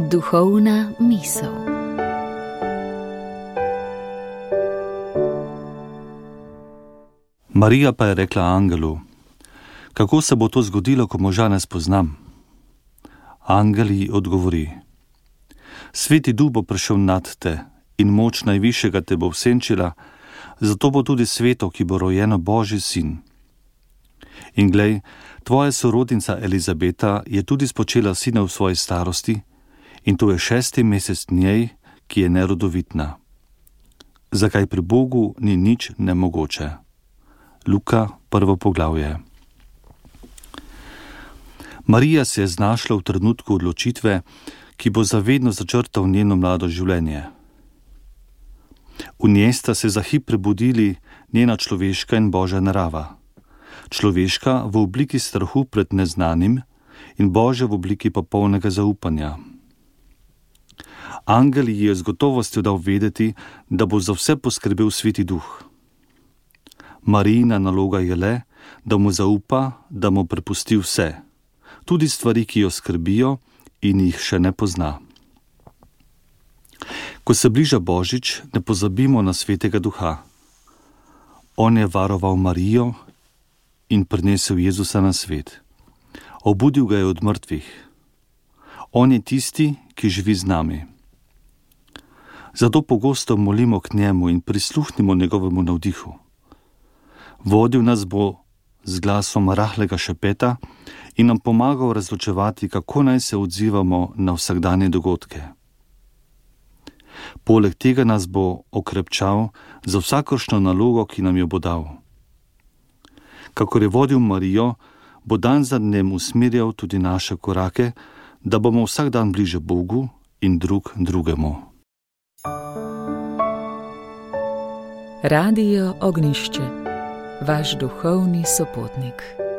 Duhovna misel. Marija pa je rekla angelu: kako se bo to zgodilo, ko moža ne spoznam? Angel ji odgovori: Sveti Duh bo prišel nad te in moč Najvišjega te bo vsenčila, zato bo tudi sveto, ki bo rojeno, Božji sin. In glej, tvoja sorodnica Elizabeta je tudi spočela sina v svoji starosti, in to je 6. mesec njej, ki je nerodovitna. Zakaj pri Bogu ni nič nemogoče? Luka, 1. poglavje. Marija se je znašla v trenutku odločitve, ki bo zavedno začrtal njeno mlado življenje. V njej sta se za hip prebudili njena človeška in Božja narava. Človeška v obliki strahu pred neznanim in Božja v obliki popolnega zaupanja. Angel ji je z gotovostjo dal vedeti, da bo za vse poskrbel Sveti Duh. Marijina naloga je le, da mu zaupa, da mu prepusti vse, tudi stvari, ki jo skrbijo in jih še ne pozna. Ko se bliža Božič, ne pozabimo na Svetega Duha. On je varoval Marijo in prinesel Jezusa na svet. Obudil ga je od mrtvih. On je tisti, ki živi z nami. Zato pogosto molimo k njemu in prisluhnimo njegovemu navdihu. Vodil nas bo z glasom rahlega šepeta in nam pomagal razločevati, kako naj se odzivamo na vsakdanje dogodke. Poleg tega nas bo okrepčal za vsakršno nalogo, ki nam jo bo dal. Kakor je vodil Marijo, bo dan za dnem usmerjal tudi naše korake, da bomo vsak dan bliže Bogu in drug drugemu. Radio Ognjišče, vaš duhovni sopotnik.